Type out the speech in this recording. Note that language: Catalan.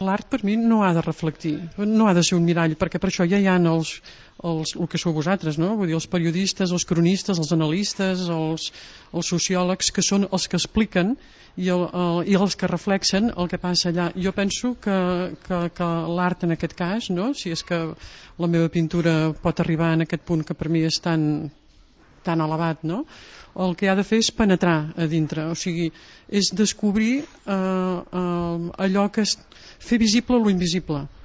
l'art per mi no ha de reflectir, no ha de ser un mirall, perquè per això ja hi ha el que sou vosaltres, no? Vull dir, els periodistes, els cronistes, els analistes, els sociòlegs, que són els que expliquen i els que reflexen el que passa allà. Jo penso que l'art en aquest cas, no? Si és que la meva pintura pot arribar en aquest punt que per mi és tan elevat, no? El que ha de fer és penetrar a dintre, o sigui, és descobrir allò que és fer visible lo invisible.